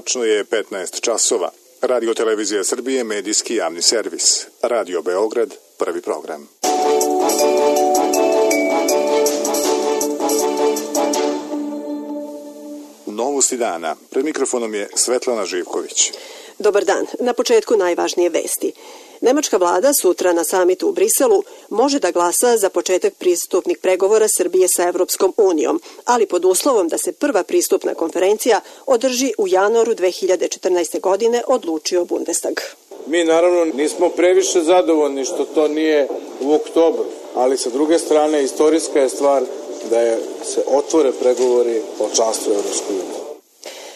Tačno je 15 časova. Radio Televizija Srbije, medijski javni servis. Radio Beograd, prvi program. Novosti dana. Pred mikrofonom je Svetlana Živković. Dobar dan. Na početku najvažnije vesti. Nemačka vlada sutra na samitu u Briselu može da glasa za početak pristupnih pregovora Srbije sa Evropskom unijom, ali pod uslovom da se prva pristupna konferencija održi u januaru 2014. godine, odlučio Bundestag. Mi naravno nismo previše zadovoljni što to nije u oktobru, ali sa druge strane istorijska je stvar da se otvore pregovori o članstvu u Evropskoj uniji.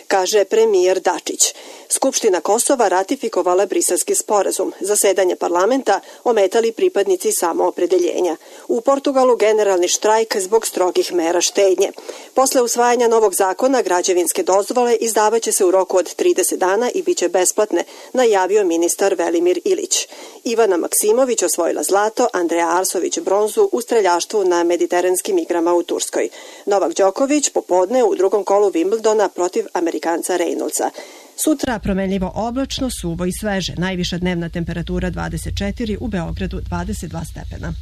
Kaže premijer Dačić. Skupština Kosova ratifikovala Briselski sporazum. Zasedanje parlamenta ometali pripadnici samoopredeljenja. U Portugalu generalni štrajk zbog strogih mera štednje. Posle usvajanja novog zakona, građevinske dozvole izdavaće se u roku od 30 dana i biće besplatne, najavio ministar Velimir Ilić. Ivana Maksimović osvojila zlato, Andreja Arsović bronzu u streljaštvu na mediteranskim igrama u Turskoj. Novak Đoković popodne u drugom kolu Wimbledona protiv Amerikanca Reynoldsa. Sutra promenljivo oblačno, suvo i sveže. Najviša dnevna temperatura 24, u Beogradu 22 stepena.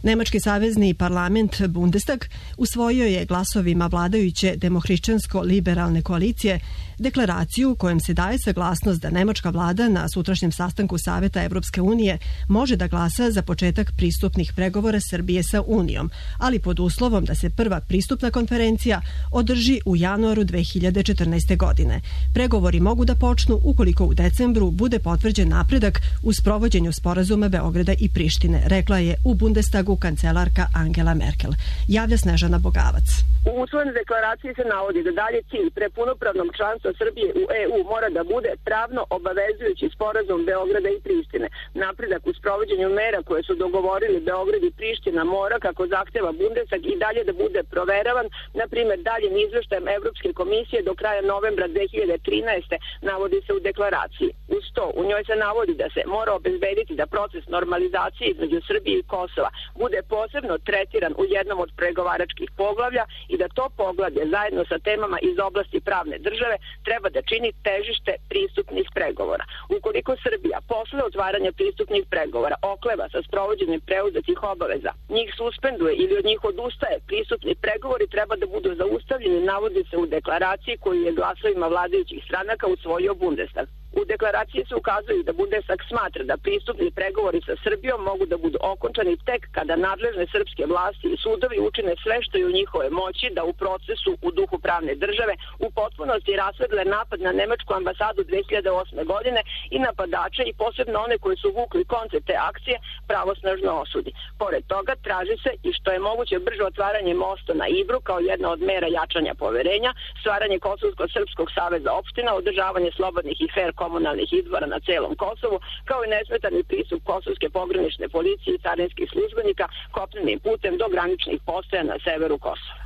Nemački savezni parlament Bundestag usvojio je glasovima vladajuće demohrišćansko-liberalne koalicije deklaraciju kojom se daje saglasnost da nemačka vlada na sutrašnjem sastanku Saveta Evropske unije može da glasa za početak pristupnih pregovora Srbije sa Unijom, ali pod uslovom da se prva pristupna konferencija održi u januaru 2014. godine. Pregovori mogu da počnu ukoliko u decembru bude potvrđen napredak u sprovođenju sporazuma Beograda i Prištine, rekla je u Bundestagu kancelarka Angela Merkel. Javlja Snežana Bogavac. U usvojenoj deklaraciji se navodi da dalje cilj pre punopravnog članstva Srbije u EU mora da bude pravno obavezujući sporazum Beograda i Prištine. Napredak u sprovođenju mera koje su dogovorili Beograd i Priština mora, kako zahteva Bundestag, i dalje da bude proveravan, na primjer daljim izveštajem Evropske komisije do kraja novembra 2013. navodi se u deklaraciji. Uz to, u njoj se navodi da se mora obezbediti da proces normalizacije između Srbije i Kosova bude posebno tretiran u jednom od pregovaračkih poglavlja i da to poglavlje zajedno sa temama iz oblasti pravne države treba da čini težište pristupnih pregovora. Ukoliko Srbija posle otvaranja pristupnih pregovora okleva sa sprovođenjem preuzetih obaveza, njih suspenduje ili od njih odustaje, pristupni pregovori treba da budu zaustavljeni, navodi se u deklaraciji koju je glasovima vladajućih stranaka usvojio Bundestag. U deklaraciji se ukazuju da Bundestag smatra da pristupni pregovori sa Srbijom mogu da budu okončani tek kada nadležne srpske vlasti i sudovi učine sve što je u njihove moći da u procesu u duhu pravne države u potpunosti rasvedle napad na nemačku ambasadu 2008. godine i napadače i posebno one koji su vukli konce te akcije pravosnažno osudi. Pored toga traži se i što je moguće brže otvaranje mosta na Ibru kao jedna od mera jačanja poverenja, stvaranje Kosovsko-srpskog saveza opština, održavanje slobodnih i fair komunalnih izbora na celom Kosovu, kao i nesmetani pristup kosovske pogranične policije i carinskih službenika kopnenim putem do graničnih postaja na severu Kosova.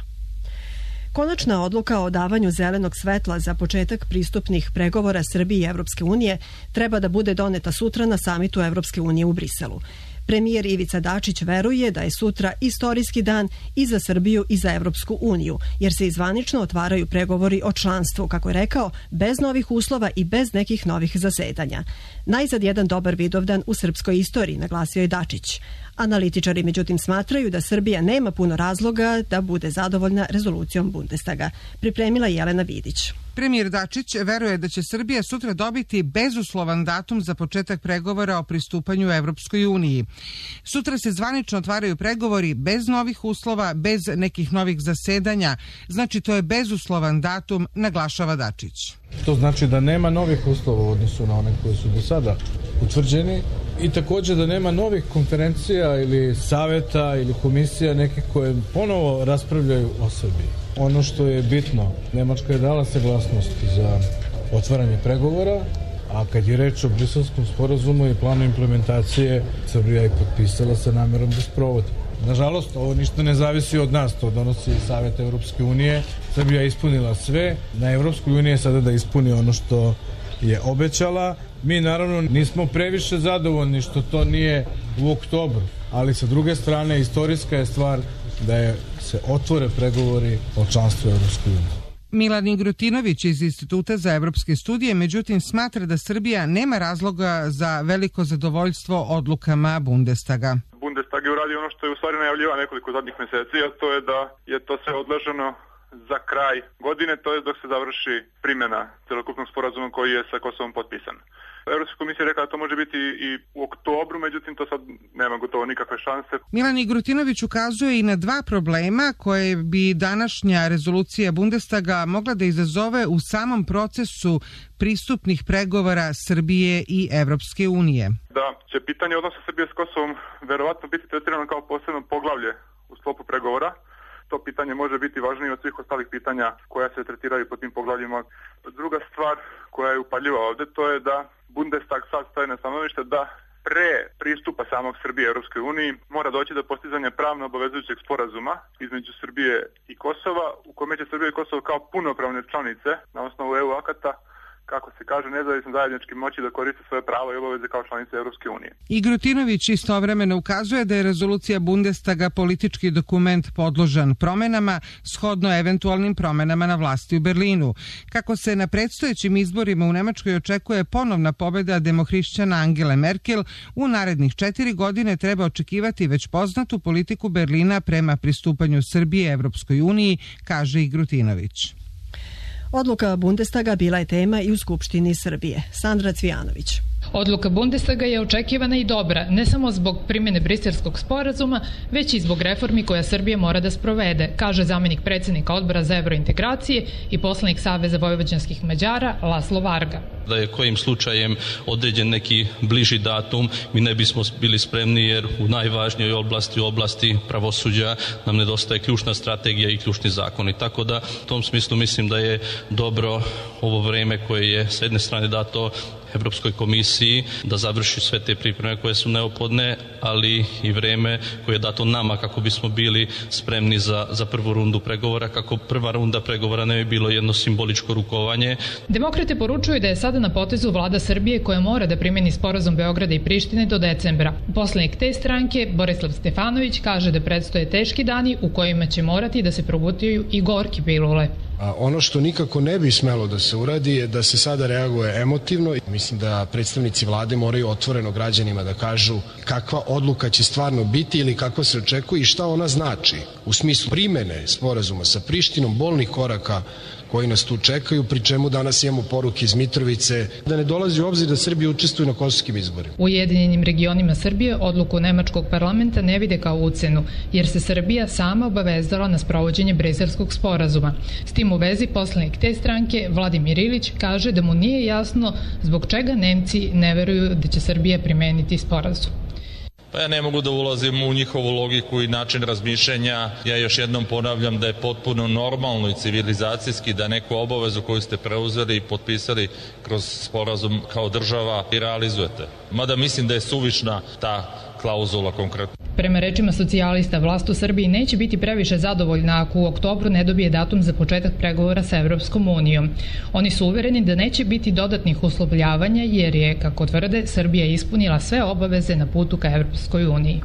Konačna odluka o davanju zelenog svetla za početak pristupnih pregovora Srbije i Evropske unije treba da bude doneta sutra na samitu Evropske unije u Briselu. Premijer Ivica Dačić veruje da je sutra istorijski dan i za Srbiju i za Evropsku uniju, jer se zvanično otvaraju pregovori o članstvu, kako je rekao, bez novih uslova i bez nekih novih zasedanja. Najzad jedan dobar Vidovdan u srpskoj istoriji, naglasio je Dačić. Analitičari međutim smatraju da Srbija nema puno razloga da bude zadovoljna rezolucijom Bundestaga. Pripremila Jelena Vidić. Premijer Dačić veruje da će Srbija sutra dobiti bezuslovan datum za početak pregovora o pristupanju Evropskoj uniji. Sutra se zvanično otvaraju pregovori bez novih uslova, bez nekih novih zasedanja. Znači to je bezuslovan datum, naglašava Dačić. To znači da nema novih uslova u odnosu na one koji su do sada utvrđeni i također da nema novih konferencija ili saveta ili komisija nekih koje ponovo raspravljaju o Srbiji. Ono što je bitno, Nemačka je dala saglasnost za otvaranje pregovora, a kad je reč o Briselskom sporazumu i planu implementacije, Srbija je potpisala sa namerom da sprovodi. Nažalost, ovo ništa ne zavisi od nas, to donosi Savet Evropske unije. Srbija je ispunila sve, na Evropskoj uniji je sada da ispuni ono što je obećala. Mi naravno nismo previše zadovoljni što to nije u oktobru, ali sa druge strane istorijska je stvar da se otvore pregovori o članstvu Evropskoj uniji. Milan Igrutinović iz Instituta za evropske studije, međutim, smatra da Srbija nema razloga za veliko zadovoljstvo odlukama Bundestaga. Bundestag je uradio ono što je u stvari najavljivao nekoliko zadnjih meseci, a to je da je to sve odloženo za kraj godine, to je dok se završi primjena celokupnog sporazuma koji je sa Kosovom potpisan. Evropska komisija je rekla da to može biti i u oktobru, međutim to sad nema gotovo nikakve šanse. Milan Igrutinović ukazuje i na dva problema koje bi današnja rezolucija Bundestaga mogla da izazove u samom procesu pristupnih pregovora Srbije i Evropske unije. Da će pitanje odnosa Srbije s Kosovom verovatno biti tretirano kao posebno poglavlje u sklopu pregovora. To pitanje može biti važnije od svih ostalih pitanja koja se tretiraju po tim poglavljima. Druga stvar koja je upaljiva ovde, to je da Bundestag sad staje na stanovište da pre pristupa samog Srbije Europskoj uniji mora doći do postizanja pravno obavezujućeg sporazuma između Srbije i Kosova, u kome će Srbija i Kosovo kao punopravne članice na osnovu EU akata, kako se kaže, nezavisno zajednički moći da koriste svoje pravo i obaveze kao članice Europske unije. Igrutinović istovremeno ukazuje da je rezolucija Bundestaga politički dokument podložan promenama, shodno eventualnim promenama na vlasti u Berlinu. Kako se na predstojećim izborima u Nemačkoj očekuje ponovna pobeda demohrišćana Angele Merkel, u narednih 4 godine treba očekivati već poznatu politiku Berlina prema pristupanju Srbije Evropskoj uniji, kaže Igrutinović. Odluka Bundestaga bila je tema i u Skupštini Srbije. Sandra Cvijanović. Odluka Bundestaga je očekivana i dobra, ne samo zbog primjene Briselskog sporazuma, već i zbog reformi koja Srbija mora da sprovede, kaže zamenik predsjednika Odbora za evrointegracije i poslanik Saveza vojvođanskih Mađara Laslo Varga. Da je kojim slučajem određen neki bliži datum, mi ne bismo bili spremni jer u najvažnijoj oblasti pravosuđa nam nedostaje ključna strategija i ključni zakoni. Tako da u tom smislu mislim da je dobro ovo vreme koje je s jedne strane dato Evropskoj komisiji da završi sve te pripreme koje su neophodne, ali i vreme koje je dato nama kako bismo bili spremni za prvu rundu pregovora, kako prva runda pregovora ne bi bilo jedno simboličko rukovanje. Demokrate poručuju da je sada na potezu vlada Srbije koja mora da primjeni sporazum Beograda i Prištine do decembra. Poslanik te stranke, Borislav Stefanović, kaže da predstoje teški dani u kojima će morati da se progutaju i gorki pilule. Ono što nikako ne bi smelo da se uradi je da se sada reaguje emotivno. Mislim da predstavnici vlade moraju otvoreno građanima da kažu kakva odluka će stvarno biti ili kako se očekuje i šta ona znači u smislu primene sporazuma sa Prištinom, bolnih koraka koji nas tu čekaju, pri čemu danas imamo poruke iz Mitrovice da ne dolazi u obzir da Srbija učestvuje na kosovskim izborima. U Ujedinjenim regionima Srbije odluku nemačkog parlamenta ne vide kao ucenu, jer se Srbija sama obavezala na sprovođenje Briselskog sporazuma. S tim u vezi poslanik te stranke, Vladimir Ilić, kaže da mu nije jasno zbog čega Nemci ne veruju da će Srbija primeniti sporazum. Pa ja ne mogu da ulazim u njihovu logiku i način razmišljanja. Ja još jednom ponavljam da je potpuno normalno i civilizacijski da neku obavezu koju ste preuzeli i potpisali kroz sporazum kao država i realizujete. Mada mislim da je suvišna ta klauzula konkretno. Prema rečima socijalista, vlast u Srbiji neće biti previše zadovoljna ako u oktobru ne dobije datum za početak pregovora sa Evropskom unijom. Oni su uvereni da neće biti dodatnih uslovljavanja jer je, kako tvrde, Srbija ispunila sve obaveze na putu ka Evropskoj uniji.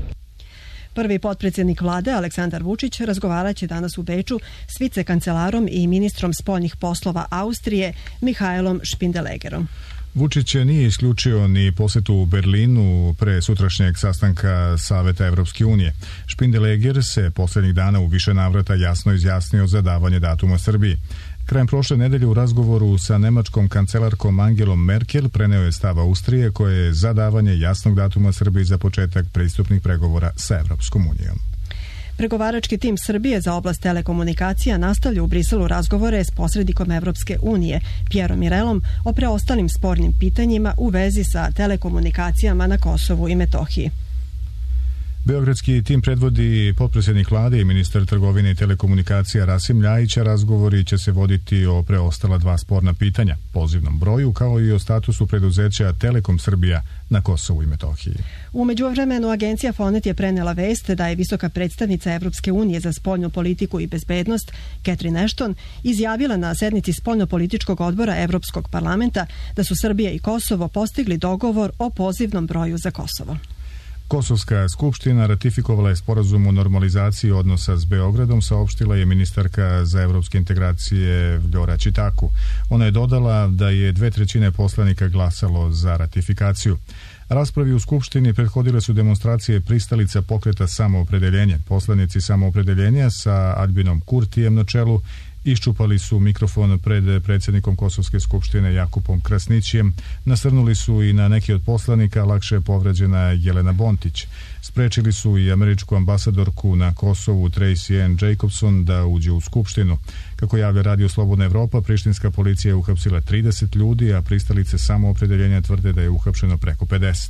Prvi potpredsjednik vlade Aleksandar Vučić razgovarat će danas u Beču s vicekancelarom i ministrom spoljnih poslova Austrije Mihaelom Špindelegerom. Vučić nije isključio ni posjetu u Berlinu pre sutrašnjeg sastanka Saveta Evropske unije. Špindeleger se posljednjih dana u više navrata jasno izjasnio za davanje datuma Srbiji. Krajem prošle nedelje u razgovoru sa nemačkom kancelarkom Angelom Merkel preneo je stav Austrije koje je za davanje jasnog datuma Srbiji za početak pristupnih pregovora sa Evropskom unijom. Pregovarački tim Srbije za oblast telekomunikacija nastavlja u Briselu razgovore s posrednikom Evropske unije, Pierom Mirelom, o preostalim spornim pitanjima u vezi sa telekomunikacijama na Kosovu i Metohiji. Beogradski tim predvodi potpredsjednik vlade i ministar trgovine i telekomunikacija Rasim Ljajić, a razgovori će se voditi o preostala dva sporna pitanja, pozivnom broju kao i o statusu preduzeća Telekom Srbija na Kosovu i Metohiji. U međuvremenu agencija Fonet je prenela vest da je visoka predstavnica Evropske unije za spoljnu politiku i bezbednost Catherine Ashton izjavila na sednici spoljnopolitičkog odbora Evropskog parlamenta da su Srbija i Kosovo postigli dogovor o pozivnom broju za Kosovo. Kosovska skupština ratifikovala je sporazum o normalizaciji odnosa s Beogradom, saopštila je ministarka za evropske integracije Vljora Čitaku. Ona je dodala da je 2/3 poslanika glasalo za ratifikaciju. Raspravi u Skupštini prethodile su demonstracije pristalica pokreta Samoopredeljenje. Poslanici Samoopredeljenja sa Aljbinom Kurtijem na čelu iščupali su mikrofon pred predsjednikom Kosovske skupštine Jakupom Krasnićijem, nasrnuli su i na neki od poslanika, lakše je povređena Jelena Bontić. Sprečili su i američku ambasadorku na Kosovu Tracy Ann Jacobson da uđe u skupštinu. Kako javlja Radio Slobodna Evropa, prištinska policija je uhapsila 30 ljudi, a pristalice Samoopredeljenja tvrde da je uhapšeno preko 50.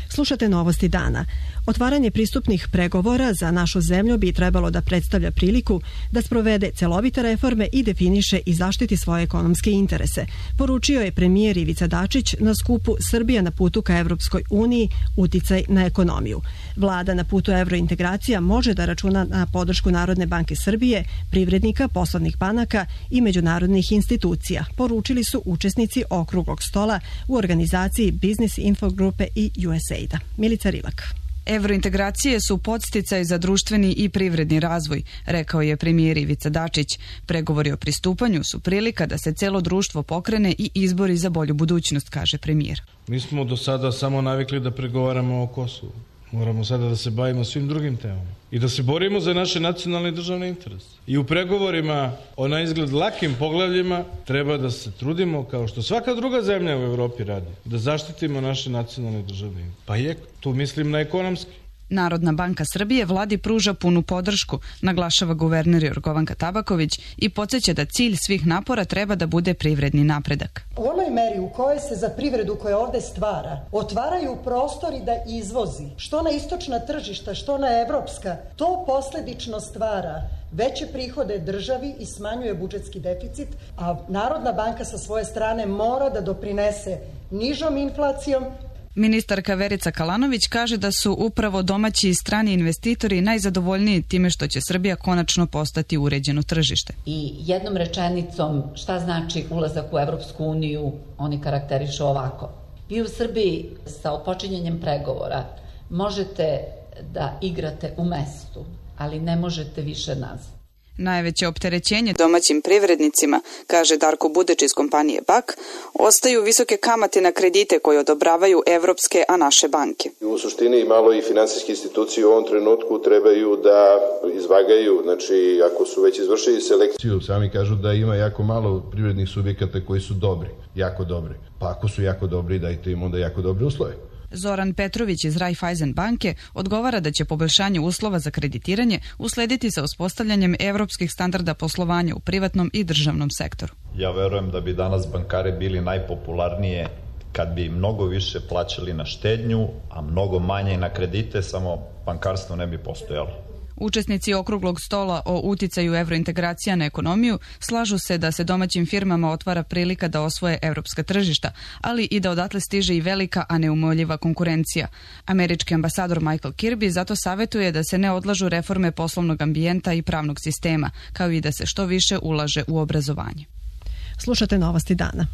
Slušate novosti dana. Otvaranje pristupnih pregovora za našu zemlju bi trebalo da predstavlja priliku da sprovede celovite reforme i definiše i zaštiti svoje ekonomske interese, poručio je premijer Ivica Dačić na skupu Srbija na putu ka Evropskoj uniji, uticaj na ekonomiju. Vlada na putu evrointegracija može da računa na podršku Narodne banke Srbije, privrednika, poslovnih banaka i međunarodnih institucija, poručili su učesnici okruglog stola u organizaciji Business Info grupe i USAID-a. Milica Rilak. Evrointegracije su podsticaj za društveni i privredni razvoj, rekao je premijer Ivica Dačić. Pregovori o pristupanju su prilika da se celo društvo pokrene i izbori za bolju budućnost, kaže premijer. Mi smo do sada samo navikli da pregovaramo o Kosovu. Moramo sada da se bavimo svim drugim temama i da se borimo za naše nacionalne i državne interese. I u pregovorima o na izgled lakim poglavljima treba da se trudimo, kao što svaka druga zemlja u Evropi radi, da zaštitimo naše nacionalne i državne interese. Pa je, tu mislim na ekonomski. Narodna banka Srbije vladi pruža punu podršku, naglašava guverner Jorgovanka Tabaković i podsjeća da cilj svih napora treba da bude privredni napredak. U onoj meri u kojoj se za privredu koja ovde stvara otvaraju prostori da izvozi, što na istočna tržišta, što na evropska, to posledično stvara veće prihode državi i smanjuje budžetski deficit, a Narodna banka sa svoje strane mora da doprinese nižom inflacijom. Ministarka Verica Kalanović kaže da su upravo domaći i strani investitori najzadovoljniji time što će Srbija konačno postati uređeno tržište. I jednom rečenicom šta znači ulazak u Evropsku uniju, oni karakterišu ovako. Vi u Srbiji sa otpočinjanjem pregovora možete da igrate u mestu, ali ne možete više nazad. Najveće opterećenje domaćim privrednicima, kaže Darko Budeć iz kompanije BAK, ostaju visoke kamate na kredite koje odobravaju evropske, a naše banke. U suštini malo i finansijske institucije u ovom trenutku trebaju da izvagaju, znači ako su već izvršili selekciju, sami kažu da ima jako malo privrednih subjekata koji su dobri, jako dobri. Pa ako su jako dobri, dajte im onda jako dobre uslove. Zoran Petrović iz Raiffeisen banke odgovara da će poboljšanje uslova za kreditiranje uslediti sa uspostavljanjem evropskih standarda poslovanja u privatnom i državnom sektoru. Ja verujem da bi danas bankare bili najpopularnije kad bi mnogo više plaćali na štednju, a mnogo manje na kredite, samo bankarstvo ne bi postojalo. Učesnici okruglog stola o uticaju evrointegracija na ekonomiju slažu se da se domaćim firmama otvara prilika da osvoje evropska tržišta, ali i da odatle stiže i velika, a neumoljiva konkurencija. Američki ambasador Michael Kirby zato savjetuje da se ne odlažu reforme poslovnog ambijenta i pravnog sistema, kao i da se što više ulaže u obrazovanje. Slušate novosti dana.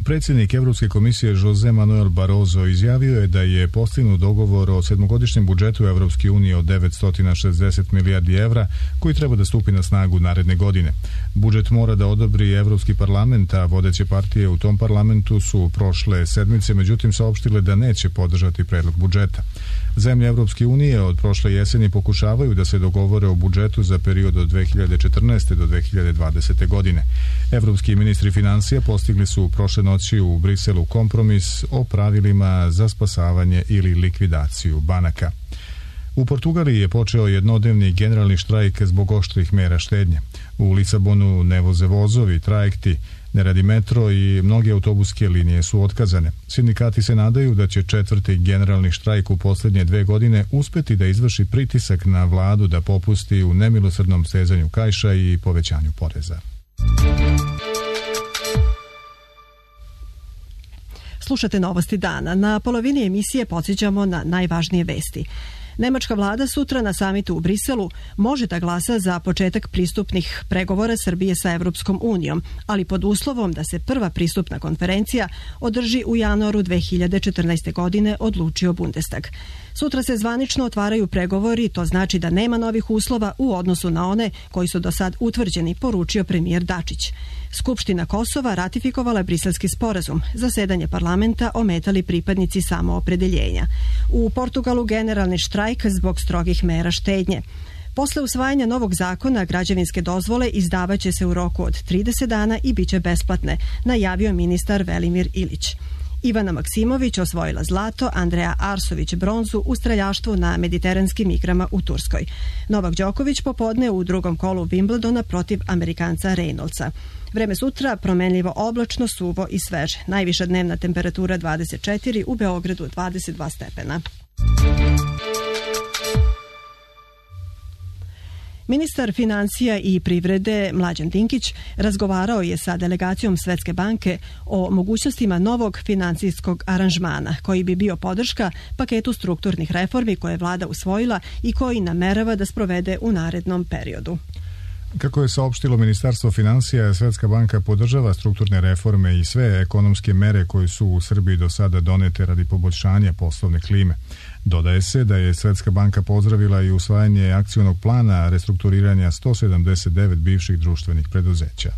Predsjednik Evropske komisije Jose Manuel Barroso izjavio je da je postignut dogovor o sedmogodišnjem budžetu Evropske unije od 960 milijardi evra koji treba da stupi na snagu naredne godine. Budžet mora da odobri Evropski parlament, a vodeće partije u tom parlamentu su prošle sedmice međutim saopštile da neće podržati predlog budžeta. Zemlje Evropske unije od prošle jeseni pokušavaju da se dogovore o budžetu za period od 2014. do 2020. godine. Evropski ministri financija postigli su prošle noći u Briselu kompromis o pravilima za spasavanje ili likvidaciju banaka. U Portugaliji je počeo jednodnevni generalni štrajk zbog oštrih mera štednje. U Lisabonu ne voze vozovi, trajekti, ne radi metro i mnoge autobuske linije su otkazane. Sindikati se nadaju da će četvrti generalni štrajk u posljednje 2 godine uspeti da izvrši pritisak na vladu da popusti u nemilosrdnom stezanju kaiša i povećanju poreza. Slušate novosti dana. Na polovini emisije podsjećamo na najvažnije vesti. Nemačka vlada sutra na samitu u Briselu može da glasa za početak pristupnih pregovora Srbije sa Evropskom unijom, ali pod uslovom da se prva pristupna konferencija održi u januaru 2014. godine, odlučio Bundestag. Sutra se zvanično otvaraju pregovori, to znači da nema novih uslova u odnosu na one koji su do sad utvrđeni, poručio premijer Dačić. Skupština Kosova ratifikovala je Briselski sporazum. Zasedanje parlamenta ometali pripadnici samoopredeljenja. U Portugalu generalni štrajk zbog strogih mera štednje. Posle usvajanja novog zakona, građevinske dozvole izdavaće se u roku od 30 dana i biće besplatne, najavio ministar Velimir Ilić. Ivana Maksimović osvojila zlato, Andreja Arsović bronzu u streljaštvu na mediteranskim igrama u Turskoj. Novak Đoković popodne u drugom kolu Wimbledona protiv Amerikanca Reynoldsa. Vreme sutra promenljivo oblačno, suvo i sveže. Najviša dnevna temperatura 24, u Beogradu 22 stepena. Ministar financija i privrede Mlađan Dinkić razgovarao je sa delegacijom Svetske banke o mogućnostima novog financijskog aranžmana koji bi bio podrška paketu strukturnih reformi koje je vlada usvojila i koji namerava da sprovede u narednom periodu. Kako je saopštilo Ministarstvo financija, Svetska banka podržava strukturne reforme i sve ekonomske mere koje su u Srbiji do sada donete radi poboljšanja poslovne klime. Dodaje se da je Svetska banka pozdravila i usvajanje akcionog plana restrukturiranja 179 bivših društvenih preduzeća.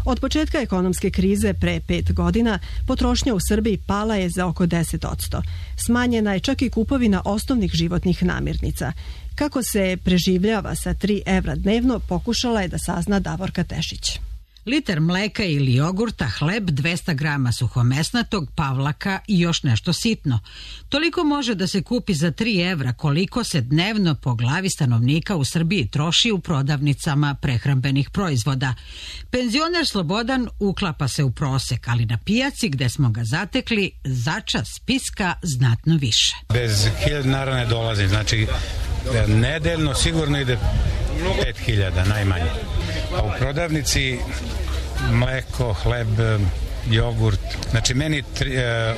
Od početka ekonomske krize pre 5 godina potrošnja u Srbiji pala je za oko 10%. Smanjena je čak i kupovina osnovnih životnih namirnica. Kako se preživljava sa 3 evra dnevno, pokušala je da sazna Davorka Tešić. Liter mleka ili jogurta, hleb, 200 grama suhomesnatog, pavlaka i još nešto sitno. Toliko može da se kupi za 3 evra koliko se dnevno po glavi stanovnika u Srbiji troši u prodavnicama prehrambenih proizvoda. Penzioner Slobodan uklapa se u prosek, ali na pijaci gde smo ga zatekli začas spiska znatno više. Bez 1000 dinara ne dolazi, znači nedeljno sigurno ide 5000 najmanje. A u prodavnici mleko, hleb, jogurt, znači meni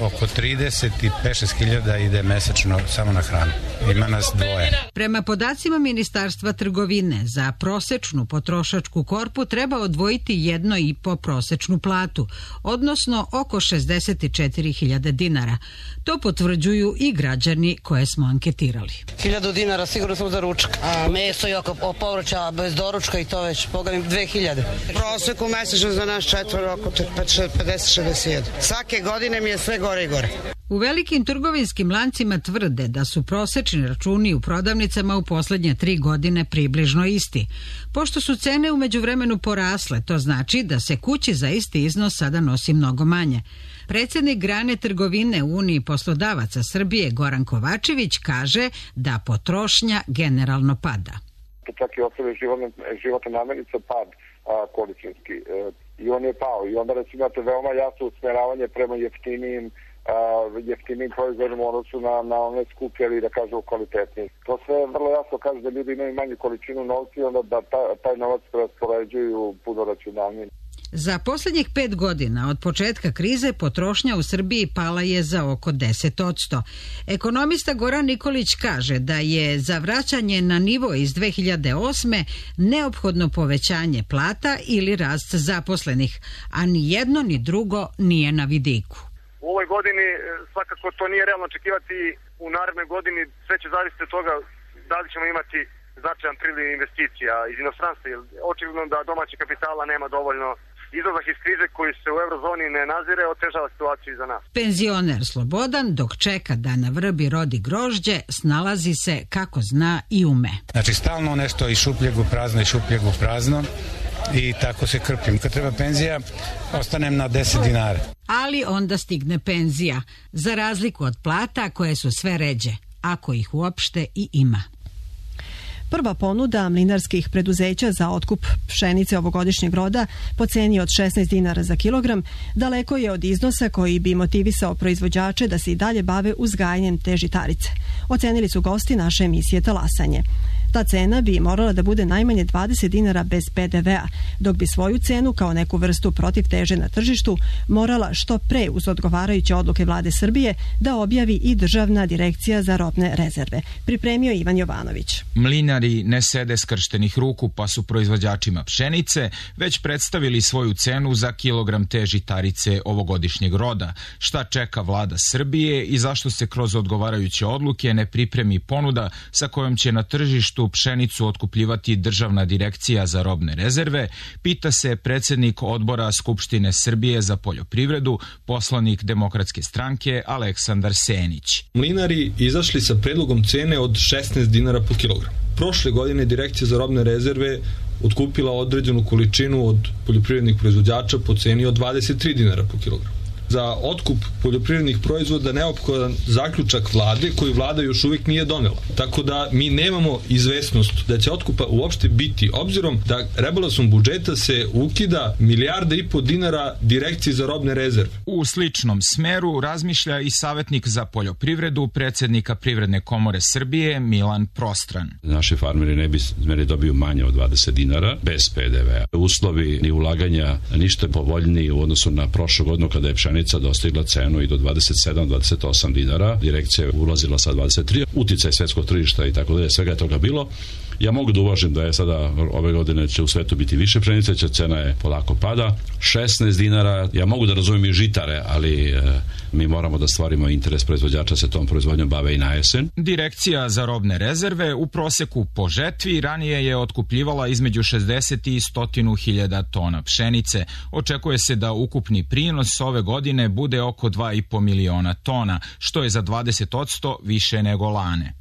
oko 35-6 hiljada ide mesečno samo na hranu. Ima nas 2. Prema podacima Ministarstva trgovine, za prosečnu potrošačku korpu treba odvojiti 1,5 prosečnu platu, odnosno oko 64.000 dinara. To potvrđuju i građani koje smo anketirali. 1000 dinara sigurno smo za ručak, a meso i oko povrća bez doručka i to već, pogledam 2000. Proseku mesečno za nas 4 oko 50-61. Svake godine mi je sve gore i gore. U velikim trgovinskim lancima tvrde da su prosečni računi u prodavnicama u poslednje 3 godine približno isti. Pošto su cene u međuvremenu porasle, to znači da se kući za isti iznos sada nosi mnogo manje. Predsjednik grane trgovine u Uniji poslodavaca Srbije Goran Kovačević kaže da potrošnja generalno pada. Čak i ostale životne namirnice pad količinski i on je pao i onda recimo imate veoma jasno usmeravanje prema jeftinim proizvodima u odnosu na one skuplje ili da kažu kvalitetnije. To sve vrlo jasno kaže da ljudi imaju manju količinu novca i onda da taj novac raspoređuju puno racionalnije. Za posljednjih 5 godina od početka krize potrošnja u Srbiji pala je za oko 10%. Ekonomista Goran Nikolić kaže da je za vraćanje na nivo iz 2008. neophodno povećanje plata ili rast zaposlenih, a ni jedno ni drugo nije na vidiku. U ovoj godini svakako to nije realno očekivati, u narednoj godini sve će zavisiti od toga da li ćemo imati značajan priliv investicija iz inostranstva. Očigledno da domaći kapitala nema dovoljno. Izlazak iz krize koji se u eurozoni ne nazire otežava situaciju i za nas. Penzioner Slobodan, dok čeka da na vrbi rodi grožđe, snalazi se kako zna i ume. Znači stalno nešto iz šupljeg u prazno i tako se krpim. Kad treba penzija, ostanem na 10 dinara. Ali onda stigne penzija, za razliku od plata koje su sve ređe, ako ih uopšte i ima. Prva ponuda mlinarskih preduzeća za otkup pšenice ovogodišnjeg roda po ceni od 16 dinara za kilogram daleko je od iznosa koji bi motivisao proizvođače da se i dalje bave uzgajanjem te žitarice. Ocenili su gosti naše emisije Talasanje. Ta cena bi morala da bude najmanje 20 dinara bez PDV-a, dok bi svoju cenu kao neku vrstu protiv teže na tržištu morala što pre uz odgovarajuće odluke vlade Srbije da objavi i Državna direkcija za robne rezerve. Pripremio Ivan Jovanović. Mlinari ne sede skrštenih ruku pa su proizvođačima pšenice već predstavili svoju cenu za kilogram te žitarice ovogodišnjeg roda. Šta čeka vlada Srbije i zašto se kroz odgovarajuće odluke ne pripremi ponuda sa kojom će na tržištu pšenicu otkupljivati Državna direkcija za robne rezerve, pita se predsjednik odbora Skupštine Srbije za poljoprivredu, poslanik Demokratske stranke Aleksandar Senić. Mlinari izašli sa predlogom cene od 16 dinara po kilogram. Prošle godine Direkcija za robne rezerve otkupila određenu količinu od poljoprivrednih proizvođača po ceni od 23 dinara po kilogram. Za otkup poljoprivrednih proizvoda neophodan zaključak vlade koji vlada još uvijek nije donela. Tako da mi nemamo izvesnost da će otkupa uopšte biti, obzirom da rebalansom budžeta se ukida 1,5 milijarde dinara Direkciji za robne rezerve. U sličnom smeru razmišlja i savjetnik za poljoprivredu predsjednika Privredne komore Srbije Milan Prostran. Naši farmeri ne bi smeli dobiju manje od 20 dinara bez PDV-a. Uslovi ni ulaganja ništa povoljniji u odnosu na prošlu godinu kada je pšenica dostigla cenu i do 27-28 dinara. Direkcija je ulazila sa 23. Uticaj svetskog tržišta i tako dalje, svega je toga bilo. Ja mogu da uvažim da je sada ove godine će u svetu biti više pšenice, će cena je polako pada. 16 dinara, ja mogu da razumijem i žitare, ali mi moramo da stvarimo interes proizvođača se tom proizvodnjom bave i na jesen. Direkcija za robne rezerve u proseku po žetvi ranije je otkupljivala između 60 i 100.000 tona pšenice. Očekuje se da ukupni prinos ove godine bude oko 2,5 miliona tona, što je za 20% više nego lane.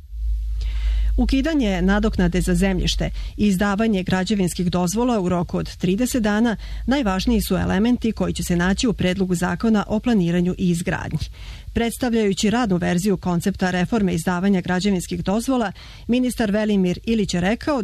Ukidanje nadoknade za zemljište i izdavanje građevinskih dozvola u roku od 30 dana najvažniji su elementi koji će se naći u predlogu zakona o planiranju i izgradnji. Predstavljajući radnu verziju koncepta reforme izdavanja građevinskih dozvola, ministar Velimir Ilić je rekao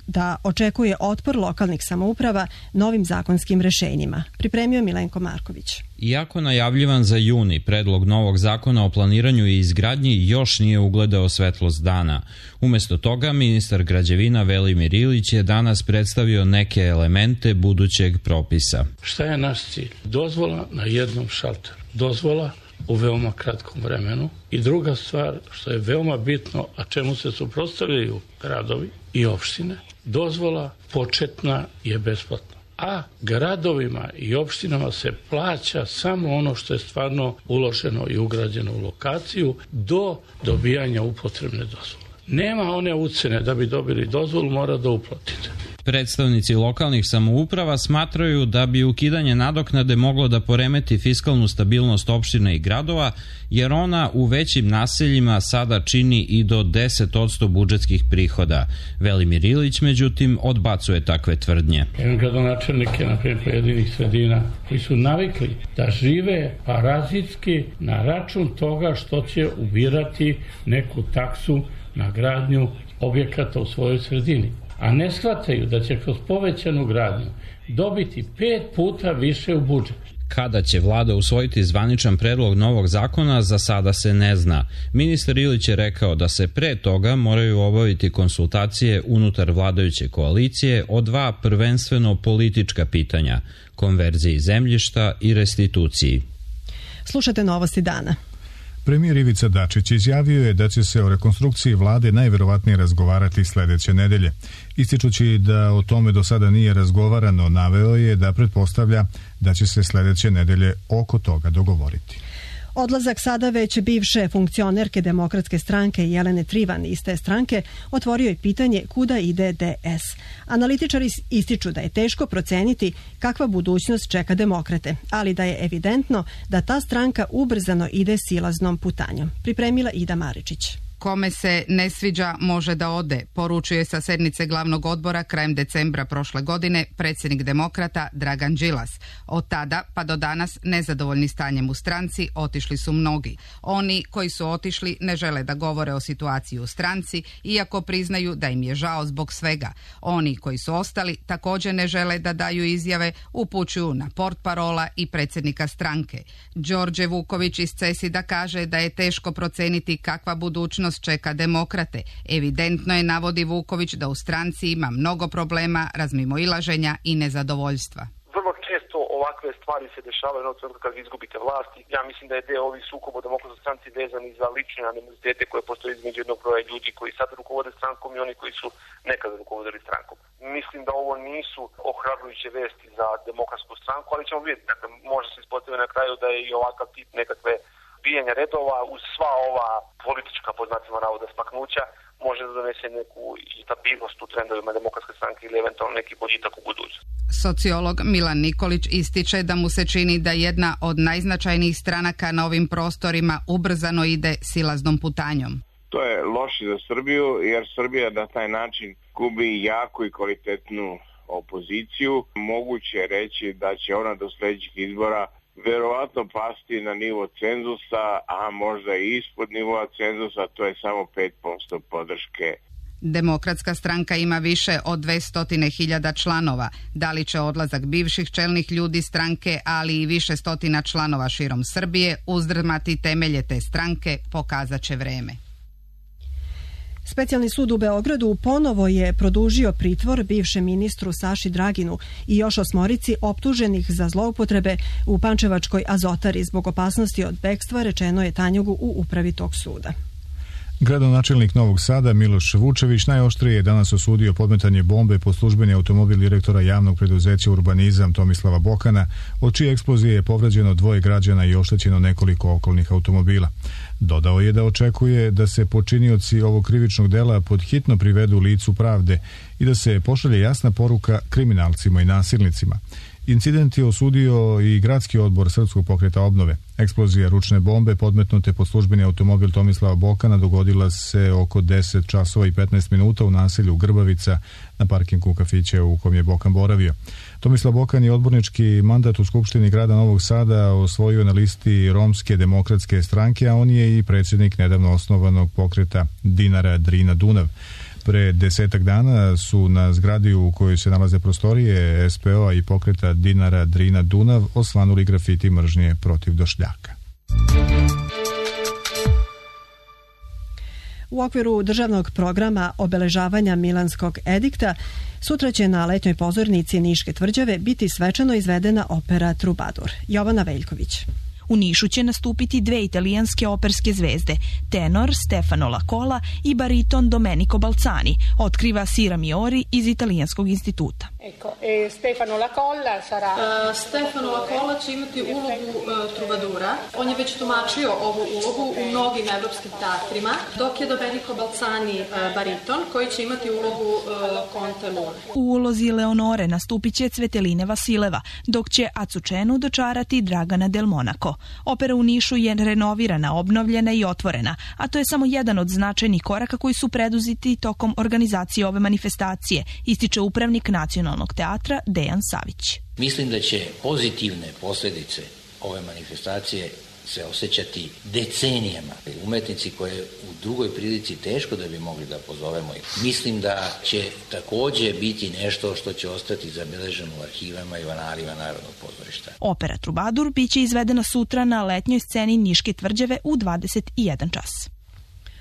da očekuje otpor lokalnih samouprava novim zakonskim rešenjima. Pripremio Milenko Marković. Iako najavljivan za juni, predlog novog zakona o planiranju i izgradnji još nije ugledao svetlost dana. Umesto toga, ministar građevina Velimir Ilić je danas predstavio neke elemente budućeg propisa. Šta je naš cilj? Dozvola na jednom šalteru. Dozvola u veoma kratkom vremenu. I druga stvar, što je veoma bitno, a čemu se suprotstavljaju gradovi i opštine, dozvola početna je besplatna. A gradovima i opštinama se plaća samo ono što je stvarno uloženo i ugrađeno u lokaciju do dobijanja upotrebne dozvole. Nema one ucene da bi dobili dozvolu, mora da uplatite. Predstavnici lokalnih samouprava smatraju da bi ukidanje nadoknade moglo da poremeti fiskalnu stabilnost opština i gradova, jer ona u većim naseljima sada čini i do 10% budžetskih prihoda. Velimir Ilić, međutim, odbacuje takve tvrdnje. Imam gradonačelnike, na primjer, pojedinih sredina, koji su navikli da žive parazitski na račun toga što će ubirati neku taksu na gradnju objekata u svojoj sredini. A ne shvataju da će kroz povećanu gradnju dobiti 5 puta više u budžet. Kada će vlada usvojiti zvaničan predlog novog zakona, za sada se ne zna. Ministar Ilić je rekao da se pre toga moraju obaviti konsultacije unutar vladajuće koalicije o 2 prvenstveno politička pitanja: konverziji zemljišta i restituciji. Slušate novosti dana. Premijer Ivica Dačić izjavio je da će se o rekonstrukciji vlade najverovatnije razgovarati sledeće nedelje. Ističući da o tome do sada nije razgovarano, naveo je da pretpostavlja da će se sledeće nedelje oko toga dogovoriti. Odlazak sada već bivše funkcionerke Demokratske stranke Jelene Trivan iz te stranke otvorio je pitanje kuda ide DS. Analitičari ističu da je teško proceniti kakva budućnost čeka demokrate, ali da je evidentno da ta stranka ubrzano ide silaznom putanjom. Pripremila Ida Maričić. Kome se ne sviđa može da ode, poručuje sa sednice glavnog odbora krajem decembra prošle godine predsjednik Demokrata Dragan Đilas. Od tada pa do danas nezadovoljni stanjem u stranci otišli su mnogi. Oni koji su otišli ne žele da govore o situaciji u stranci, iako priznaju da im je žao zbog svega. Oni koji su ostali također ne žele da daju izjave, upućuju na portparola i predsjednika stranke. Đorđe Vuković iz CESID-a kaže da je teško proceniti kakva budućnost čeka Demokrate. Evidentno je, navodi Vuković, da u stranci ima mnogo problema, razmimoilaženja i nezadovoljstva. Vrlo često ovakve stvari se dešavaju na trenutku kad vi izgubite vlast. Ja mislim da je deo ovih sukoba u Demokratskoj stranci vezani za lične animozitete koje postoje između jednog broja ljudi koji sad rukovode strankom i oni koji su nekada rukovodili strankom. Mislim da ovo nisu ohrabrujuće vesti za Demokratsku stranku, ali ćemo vidjeti. Dakle, može se ispostaviti na kraju da je i ovakav tip nekakve bijanja redova uz sva ova politička, po znacima navoda, smaknuća može da donese neku stabilnost u trendovima Demokratske stranke ili eventualno neki boljitak u budućnosti. Sociolog Milan Nikolić ističe da mu se čini da jedna od najznačajnijih stranaka na ovim prostorima ubrzano ide silaznom putanjom. To je loše za Srbiju, jer Srbija na taj način gubi jaku i kvalitetnu opoziciju. Moguće je reći da će ona do sljedećih izbora verovatno pasti na nivo cenzusa, a možda i ispod nivoa cenzusa, to je samo 5% podrške. Demokratska stranka ima više od 200.000 članova. Da li će odlazak bivših čelnih ljudi stranke, ali i više stotina članova širom Srbije uzdrmati temelje te stranke, pokazat će vreme. Specijalni sud u Beogradu ponovo je produžio pritvor bivšem ministru Saši Draginu i još 8 optuženih za zloupotrebe u pančevačkoj Azotari zbog opasnosti od bekstva, rečeno je Tanjugu u upravi tog suda. Gradonačelnik Novog Sada Miloš Vučević najoštrije je danas osudio podmetanje bombe po službeni automobil direktora javnog preduzeća Urbanizam Tomislava Bokana, od čije eksplozije je povređeno 2 građana i oštećeno nekoliko okolnih automobila. Dodao je da očekuje da se počinioci ovog krivičnog dela podhitno privedu licu pravde i da se pošalje jasna poruka kriminalcima i nasilnicima. Incident je osudio i gradski odbor Srpskog pokreta obnove. Eksplozija ručne bombe podmetnute pod službeni automobil Tomislava Bokana dogodila se oko 10 časova i 15 minuta u naselju Grbavica na parkingu kafića u kom je Bokan boravio. Tomislav Bokan je odbornički mandat u Skupštini grada Novog Sada osvojio na listi Romske demokratske stranke, a on je i predsjednik nedavno osnovanog pokreta Dinara Drina Dunav. Pre 10 dana su na zgradi u kojoj se nalaze prostorije SPO-a i pokreta Dinara Drina Dunav osvanuli grafiti mržnje protiv došljaka. U okviru državnog programa obeležavanja Milanskog edikta sutra će na letnjoj pozornici Niške tvrđave biti svečano izvedena opera Trubadur. Jovana Veljković. U Nišu će nastupiti 2 italijanske operske zvezde, tenor Stefano Lacola i bariton Domenico Balzani, otkriva Sira Miori iz Italijanskog instituta. Stefano Lacola će imati ulogu Trubadura. On je već tumačio ovu ulogu u mnogim evropskim teatrima, dok je Domenico Balzani bariton koji će imati ulogu Conte Lune. U ulozi Leonore nastupit će Cveteline Vasileva, dok će Azucenu dočarati Dragana Del Monaco. Opera u Nišu je renovirana, obnovljena i otvorena, a to je samo jedan od značajnih koraka koji su preduzeti tokom organizacije ove manifestacije, ističe upravnik Nacionalnog teatra Dejan Savić. Mislim da će pozitivne posljedice ove manifestacije se osjećati decenijama. Umetnici koje u drugoj prilici teško da bi mogli da pozovemo. Mislim da će također biti nešto što će ostati zabeleženo u arhivama i analima Narodnog pozorišta. Opera Trubadur biće izvedena sutra na letnjoj sceni Niške tvrđave u 21 čas.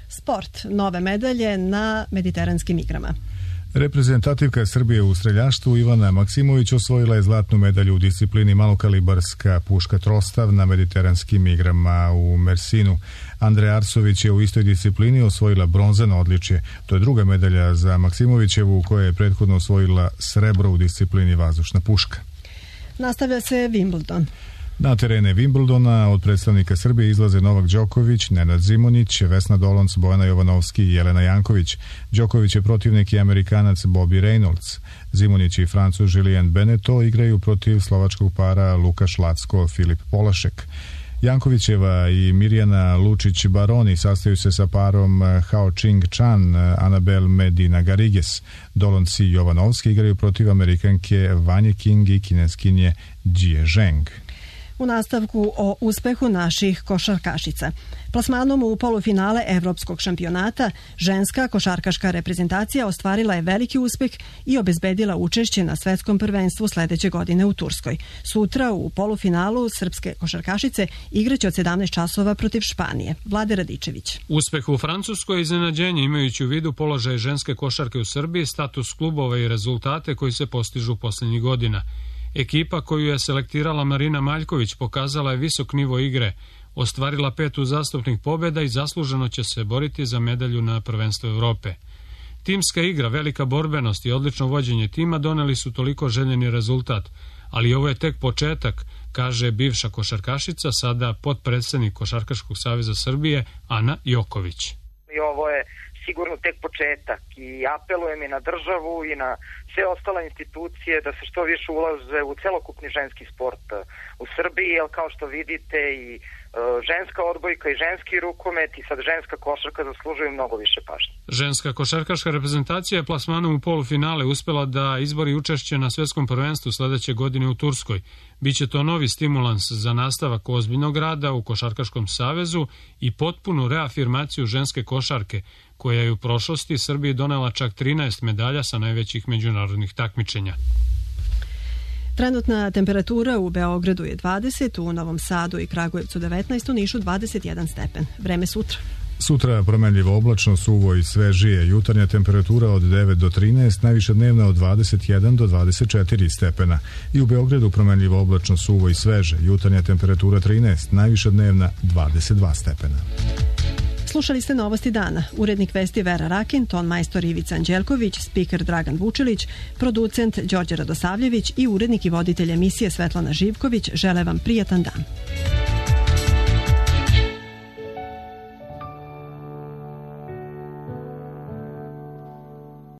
Sport. Nove medalje na Mediteranskim igrama. Reprezentativka Srbije u streljaštvu Ivana Maksimović osvojila je zlatnu medalju u disciplini malokalibarska puška trostav na Mediteranskim igrama u Mersinu. Andreja Arsović je u istoj disciplini osvojila bronzano odličje. To je druga medalja za Maksimovićevu, koja je prethodno osvojila srebro u disciplini vazdušna puška. Nastavlja se Wimbledon. Na terene Wimbledona od predstavnika Srbije izlaze Novak Đoković, Nenad Zimonjić, Vesna Dolonc, Bojana Jovanovski i Jelena Janković. Đoković je protivnik i Amerikanac Bobby Reynolds. Zimonjić i Francuz Julien Beneteau igraju protiv slovačkog para Lukaš Lacko, Filip Polašek. Jankovićeva i Mirjana Lučić-Baroni sastaju se sa parom Hao Ching-chan, Anabel Medina Garrigues. Dolonci Jovanovski igraju protiv Amerikanke Vanje King i kineskinje Jie Zheng. U nastavku o uspehu naših košarkašica. Plasmanom u polufinale Evropskog šampionata, ženska košarkaška reprezentacija ostvarila je veliki uspeh i obezbedila učešće na svetskom prvenstvu sledeće godine u Turskoj. Sutra u polufinalu srpske košarkašice igraće od 17 časova protiv Španije. Vlade Radičević. Uspeh u Francuskoj je iznenađenje imajući u vidu položaj ženske košarke u Srbiji, status klubova i rezultate koji se postižu poslednjih godina. Ekipa koju je selektirala Marina Maljković pokazala je visok nivo igre, ostvarila 5 uzastopnih pobjeda i zasluženo će se boriti za medalju na prvenstvu Evrope. Timska igra, velika borbenost i odlično vođenje tima doneli su toliko željeni rezultat, ali ovo je tek početak, kaže bivša košarkašica, sada potpredsednik Košarkaškog saveza Srbije, Ana Joković. I ovo je sigurno tek početak i apelujem i na državu i na sve ostale institucije da se što više ulaže u celokupni ženski sport u Srbiji, jer kao što vidite i ženska odbojka i ženski rukomet i sad ženska košarka zaslužuju mnogo više pažnje. Ženska košarkaška reprezentacija je plasmanom u polufinale uspela da izbori učešće na svetskom prvenstvu sledeće godine u Turskoj. Biće to novi stimulans za nastavak ozbiljnog rada u Košarkaškom savezu i potpunu reafirmaciju ženske košarke, koja je u prošlosti Srbiji donela čak 13 medalja sa najvećih međunarodnih takmičenja. Trenutna temperatura u Beogradu je 20, u Novom Sadu i Kragujevcu 19, u Nišu 21 stepen. Vreme sutra. Sutra promenljivo oblačno, suvo i svežije. Jutarnja temperatura od 9 do 13, najviša dnevna od 21 do 24 stepena. I u Beogradu promenljivo oblačno, suvo i sveže. Jutarnja temperatura 13, najviša dnevna 22 stepena. Slušali ste Novosti dana. Urednik vesti Vera Rakin, ton majstor Ivica Anđelković, spiker Dragan Vučilić, producent Đorđe Radosavljević i urednik i voditelj emisije Svetlana Živković žele vam prijatan dan.